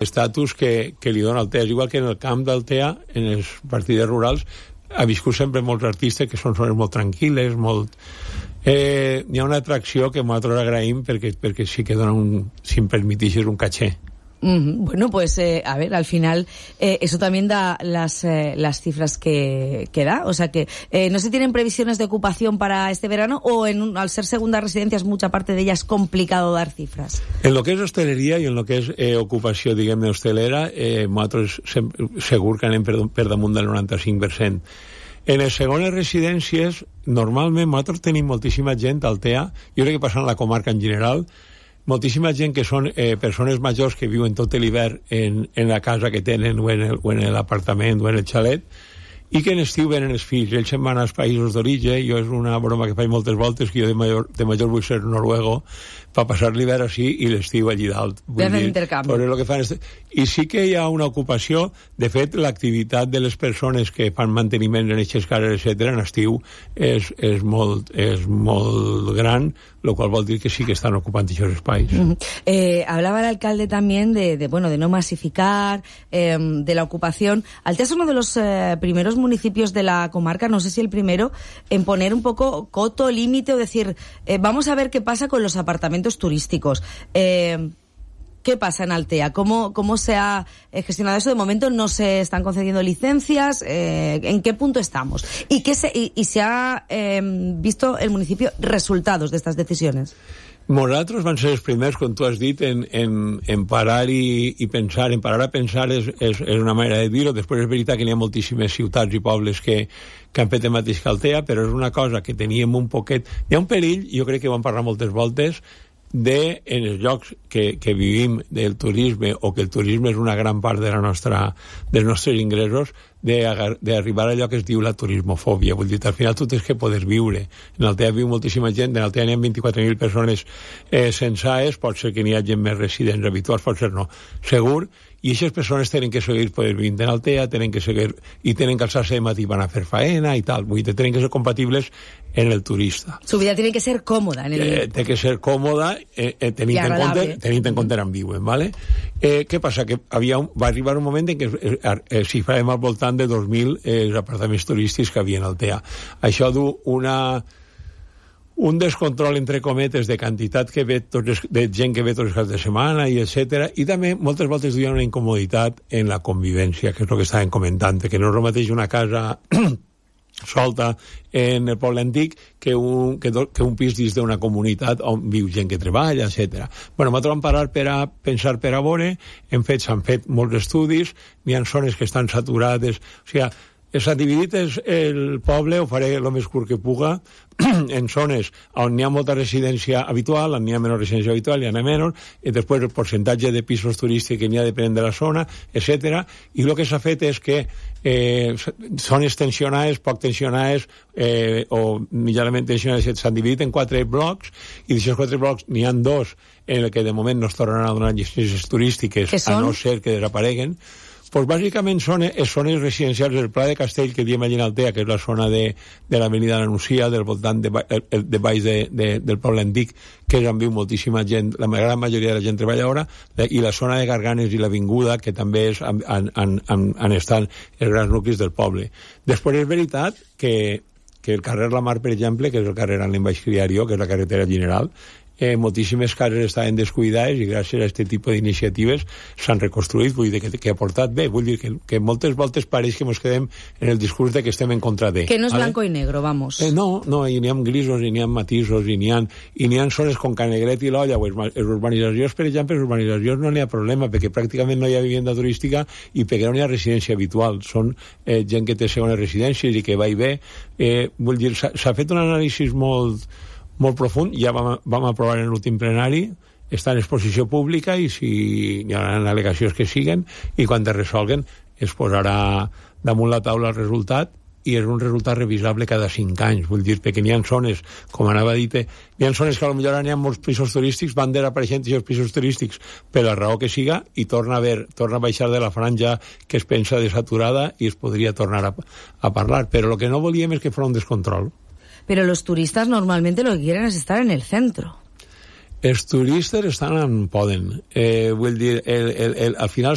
estatus que li dona Altea. És igual que en el camp d'Altea, en les partides rurals, ha viscut sempre molts artistes que són zones molt tranquil·les, molt... N'hi ha una atracció que nosaltres agraïm perquè sí que dona si em permitixes, un caché. Bueno, pues a ver, al final eso también da las cifras que da, o sea que no se tienen previsiones de ocupación para este verano, o al ser segunda residencia mucha parte de ella es complicado dar cifras. En lo que és hosteleria i en lo que és ocupació, diguem-ne, hostelera, nosaltres segur que anem per damunt del 95%. En les segones residències, normalment nosaltres tenim moltíssima gent al Altea, jo crec que passa en la comarca en general, moltíssima gent que són persones majors que viuen tot l'hivern en la casa que tenen o en l'apartament o en el xalet, i que en estiu venen els fills. Ells se'n van als països d'origen. Jo és una broma que faig moltes voltes, que jo de major vull ser noruego per passar l'hivern així i l'estiu allí dalt. I sí que hi ha una ocupació. De fet, l'activitat de les persones que fan manteniment en aquestes cases, etc., en estiu és molt gran, lo cual vol dir que sí que están ocupando esos espacios. Hablaba el alcalde también de no masificar, de la ocupación. Altea es uno de los primeros municipios de la comarca, no sé si el primero, en poner un poco coto, límite, o decir, vamos a ver qué pasa con los apartamentos turísticos. ¿Qué pasa en Altea? ¿Cómo se ha gestionado eso? De momento no se están concediendo licencias. ¿En qué punto estamos? ¿Y se ha visto el municipio resultados de estas decisiones? Nosaltres van ser els primers, com tu has dit, en parar i pensar. En parar a pensar és una manera de dir-ho. Després és veritat que hi ha moltíssimes ciutats i pobles que han fet el mateix que Altea, però és una cosa que teníem un poquet... Hi ha un perill, jo crec que ho hem parlat moltes voltes, en els llocs que vivim del turisme, o que el turisme és una gran part dels nostres ingressos, d'arribar a allò que es diu la turismofòbia. Vull dir, al final tu tens que poder viure. En Altea viu moltíssima gent, en Altea n'hi ha 24.000 persones censades, pot ser que n'hi hagi més residents habituals, pot ser no. Segur, i aquestes persones tenen que seguir poder vivir en Altea, tenen que seguir, i tenen que alçar-se de matí, van a fer faena i tal. Vull dir, tenen que ser compatibles en el turista. Su vida tiene que ser cómoda. Té que ser còmoda, tenint en compte on viuen, ¿vale? Què passa? Que va arribar un moment en què s'hi farem al voltant de 2.000 apartaments turístics que havia en Altea. Això du un descontrol, entre cometes, de quantitat de gent que ve tots els caps de setmana, i etcètera, i també moltes voltes duien una incomoditat en la convivència, que és el que estàvem comentant, que no és el mateix una casa solta en el poble antic que un pis dins d'una comunitat on viu gent que treballa, etc. Bueno, nosaltres vam parar per a pensar, per a veure, s'han fet molts estudis, n'hi ha zones que estan saturades, o sigui, s'ha dividit el poble, ho faré el més curt que puga, en zones on n'hi ha molta residència habitual, on n'hi ha menys residència habitual, hi ha menys, i després el percentatge de pisos turístics que n'hi ha depenent de la zona, etc. I el que s'ha fet és que zones tensionades, poc tensionades, o mitjanament tensionades, s'han dividit en 4 blocs, i d'aquests 4 blocs n'hi ha 2 en el que de moment no es tornaran a donar llicències turístiques, a no ser que desapareguen. Pues bàsicament són zones residencials del Pla de Castell, que diem allà en Altea, que és la zona de l'avenida La Nucia, del voltant de baix del poble antic, que és on viu moltíssima gent, la gran majoria de la gent treballadora, i la zona de Garganes i l'Avinguda, que també han estat els grans nuclis del poble. Després és veritat que el carrer La Mar, per exemple, que és el carrer on em vaig criar jo, que és la carretera general, moltíssimes cases estaven descuidades i gràcies a aquest tipus d'iniciatives s'han reconstruït. Vull dir que ha portat bé. Vull dir que moltes voltes pareix que ens quedem en el discurs de que estem en contra de. Que no és blanco i negro, vamos. No, i n'hi ha grisos, i n'hi ha matisos, i n'hi ha zones com Canegret i l'Olla, o les urbanitzacions, per exemple, les urbanitzacions no n'hi ha problema, perquè pràcticament no hi ha vivienda turística i perquè no n'hi ha residència habitual. Són gent que té segones residències i que va i ve. Vull dir, s'ha fet un anàlisi molt profund, ja vam aprovar en l'últim plenari, està en exposició pública, i si hi ha al·legacions que siguen, i quan es resolguen es posarà damunt la taula el resultat, i és un resultat revisable cada 5 anys. Vull dir, perquè n'hi ha zones, com anava a dir, n'hi ha zones que potser n'hi ha molts pisos turístics, van desapareixent aquests pisos turístics per la raó que siga, i torna a baixar de la franja que es pensa de saturada, i es podria tornar a parlar. Però el que no volíem és que fos un descontrol. Pero los turistas normalmente lo que quieren es estar en el centro. Els turistes estan on poden. Vull dir, al final